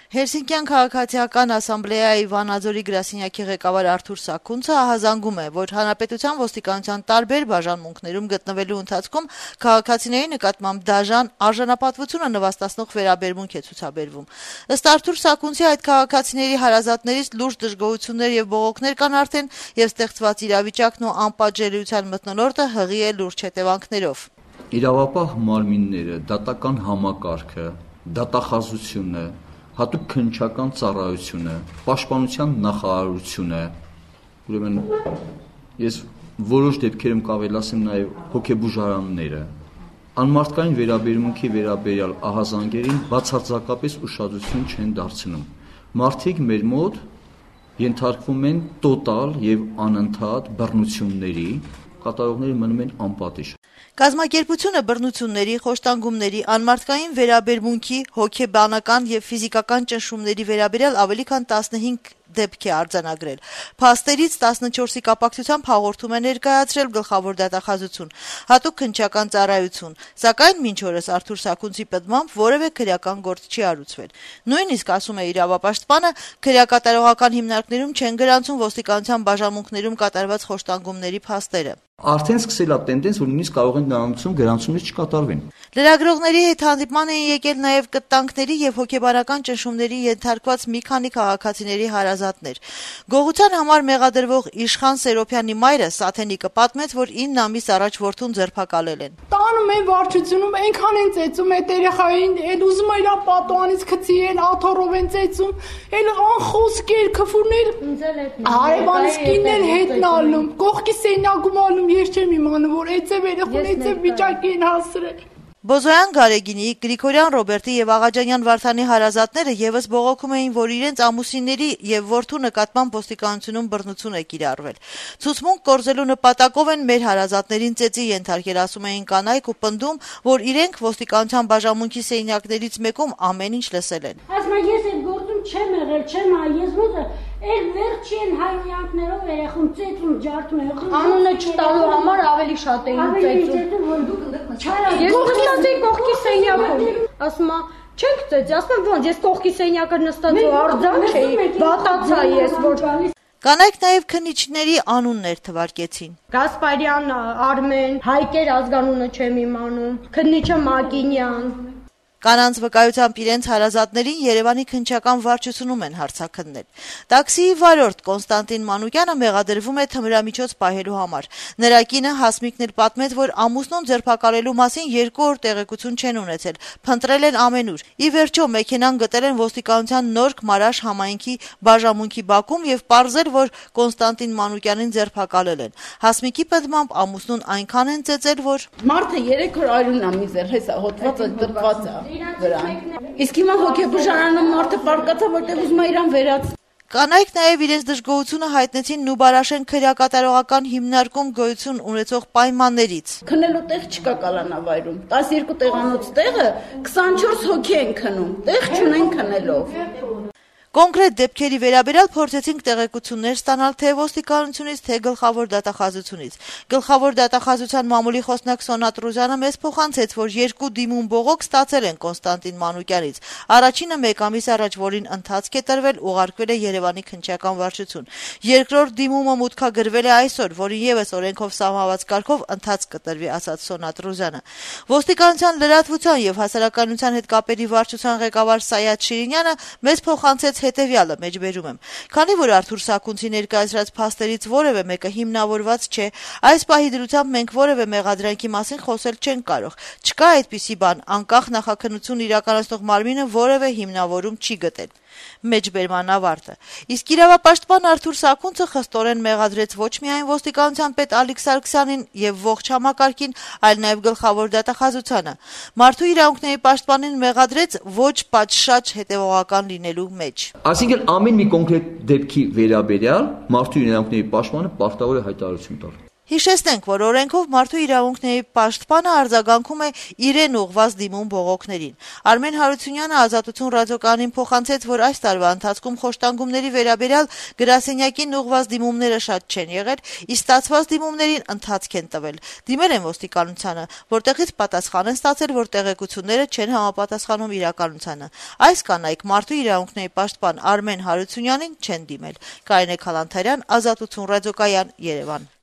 Հելսինկյան քաղաքացիական ասամբլեայի Վանաձորի գրասենյակի ղեկավար Արթուր Սաքունցը ահազանգում է, որ հանրապետության ոստիկանության տարբեր բաժանմունքներում գտնվելու ընթացքում քաղաքացիների նկատմամբ դաժան արժանապատվությունը նվաստացնող վերաբերմունք է ցուցաբերվում։ Ըստ Արթուր Սաքունցի, այդ քաղաքացիների հարազատներից լուրջ դժգոհություններ եւ բողոքներ կան արդեն, եւ ստեղծված իրավիճակն ու անպատժելիության մթնոլորտը հղի է լուրջ հետևանքներով։ Իրավապահ մարմինները, դատական համակարգը, դատախազությունը, հատուկ քննչական ծառայությունը, պաշտպանության նախարարությունը, ուրեմն ես որոշ դեպքերում կարող ասեմ նաև հոգեբուժարանները, անմարդկային վերաբերմունքի վերաբերյալ ահազանգերին բացարձակապես ուշադրություն չեն դարձնում։ Մարդիկ մեր մոտ ենթարկվում են տոտալ եւ անընդհատ բռնությունների, կատարողները մնում են անպատիժ։ Կազմակերպությունը բռնությունների, խոշտանգումների, անմարդկային վերաբերմունքի, հոգեբանական եւ ֆիզիկական ճնշումների վերաբերյալ ավելի քան 15 դեպք է արձանագրել։ Փաստերից 14-ի կապակցությամբ հաղորդում է ներկայացրել գլխավոր դատախազություն, հատուկ քննչական ծառայություն, սակայն մինչ օրս Արթուր Սաքունցի պատմամբ որևէ քրեական գործ չի արուծվել։ Նույնիսկ, ասում է իրավապաշտպանը, քրեակատարողական հիմնարկներում չեն գրանցում ոստիկանության բաժանմունքներում կատարված խոշտանգումների փաստերը։ Արդեն սկսել է տենդենս, որ նույնիսկ կարող են նրանցում գրանցումներ չկատարվեն։ Լրագրողների հետ հանդիպման էին եկել նաև կտանքների եւ հոգեբանական ճնշումների ենթարկված մի քանի քաղաքացիների հարազատներ։ Գողության համար մեղադրվող Իշխան Սերոփյանի մայրը Սաթենիկը պատմեց, որ 9 ամիս առաջ որդուն ձերբակալել են։ Տանում են վարչությունում, այնքան են ծեծում այդ երեխային, այդ ուզում է իր պատուանից գցի են, աթոռով են ծեծում, այլ անխոսքեր, քֆուրներ, հարևանից կիններ հետն ալնում, կողքի սենյակում ալնում, ես չեմ իմանում, որ այծև երեխուն, այծև վիճակի են հասրել։ Բոզոյան Գարեգինի, Գրիգորյան Ռոբերտի եւ Աղաջանյան Վարդանի հարազատները եւս բողոքում էին, որ իրենց ամուսինների եւ որդու նկատմամբ ոստիկանությունում բռնություն է կիրառվել։ Ցուցմունք կորզելու նպատակով են մեր հարազատներին ծեծի ենթարկել, ասում էին կանայք ու պնդում, որ իրենք ոստիկանության բաժանմունքի սենյակներից մեկում ամեն ինչ լսել են։ Ասում եմ, ես այդ գործում չեմ եղել, չեմ ես ոնց Էլ վերջին հայրենիքներով երեխուն ծեծում ջարդում են։ Անունը չտալու համար ավելի շատ էին ծեծում։ Ես կողքի սենյակում։ Ասում եմ, չեք ծեծի, ասում եմ, ոնց ես կողքի սենյակը նստած ու արձակ էի, վատացա ես, որ Կանայք նաև քննիչների անուններ թվարկեցին։ Գասպարյան Արմեն, Հայկեր ազգանունը չեմ իմանում, քննիչը Մակինյան։ Կանանց վկայությամբ իրենց հարազատներին Երևանի քննչական վարչությունում են հարցաքննել։ Տաքսիի վարորդ Կոնստանտին Մանուկյանը մեղադրվում է թմրամիջոց պահելու համար։ Նրա կինը Հասմիկն էլ պատմեց, որ ամուսնուն ձերբակալելու մասին 2 օր տեղեկություն չեն ունեցել, փնտրել են ամենուր։ Ի վերջո մեքենան գտել են ոստիկանության Նորք Մարաշ համայնքի բաժանմունքի բակում եւ պարզել, որ Կոնստանտին Մանուկյանին ձերբակալել են։ Հասմիկի պատմամբ ամուսնուն այնքան են ծեծել, որ Մարդը 3 օր արյունն է միզեր, հեսա հոտվածը դրված է։ Իսկ հիմա հոգեբուժարանում մարդը պարկացա, որտեղ ուզում է իրան վերած։ Կանայք նաև իրենց դժգոհությունը հայտնեցին Նուբարաշեն քրեակատարողական հիմնարկում գոյություն ունեցող պայմաններից։ Քնելու տեղ չկա կալանավայրում։ 12 տեղանոց տեղը 24 հոգի են քնում։ Տեղ չունեն քնելով։ Կոնկրետ դեպքերի վերաբերյալ փորձեցինք տեղեկություններ ստանալ թե ոստիկանությունից, թե գլխավոր դատախազությունից։ Գլխավոր դատախազության մամուլի խոսնակ Սոնատ Ռուզյանը մեզ փոխանցեց, որ 2 դիմում բողոք ստացել են Կոնստանտին Մանուկյանից։ Առաջինը 1 ամիս առաջ, որին ընթացք է տրվել, ուղարկվել է Երևանի քննչական վարչություն։ Երկրորդ դիմումը մուտքագրվել է այսօր, որին եւս օրենքով սահմանված կարգով ընթացք կտրվի, ասաց Սոնատ Ռուզյանը։ Ոստիկանության լրատվության եւ հասարակայնության հետ կապերի վարչության ղեկավար Սայաթ Շիրինյանը մեզ փոխանցեց հետևյալը, մեջբերում եմ։ Քանի որ Արթուր Սաքունցի ներկայացրած փաստերից որևէ մեկը հիմնավորված չէ, այս պահի դրությամբ մենք որևէ մեղադրանքի մասին խոսել չենք կարող։ Չկա այդպիսի բան, անկախ նախաքննություն իրականացնող մարմինը որևէ հիմնավորում չի գտել։ Մեջբերման ավարտը։ Իսկ իրավապաշտպան Արթուր Սաքունցը խստորեն մեղադրեց ոչ միայն ոստիկանության պետ Ալիկ Սարգսյանին եւ ողջ համակարգին, այլ նաեւ գլխավոր դատախազությանը։ Մարդու իրավունքների պաշտպանին մեղադրեց ոչ պատշաճ հետևողական լինելու մեջ։ Այսինքն ամեն մի կոնկրետ դեպքի վերաբերյալ մարդու իրավունքների պաշտպանը պարտավոր է հայտարարություն տալ։ Հիշեցնենք, որ օրենքով մարդու իրավունքների պաշտպանը արձագանքում է իրեն ուղղված դիմում բողոքներին։ Արմեն Հարությունյանը Ազատություն ռադիոկայանին փոխանցեց, որ այս տարվա ընթացքում խոշտանգումների վերաբերյալ գրասենյակին ուղղված դիմումները շատ չեն եղել, իսկ ստացված դիմումներին ընթացք են տվել։ Դիմել են ոստիկանությանը, որտեղից պատասխան են ստացել, որ տեղեկությունները չեն համապատասխանում իրականությանը։ Այս կանայք մարդու իրավունքների պաշտպան Արմեն Հարությունյանին չեն դիմել։ Կարինե Քալանթարյան, Ազատություն ռադիոկայան, Երևան։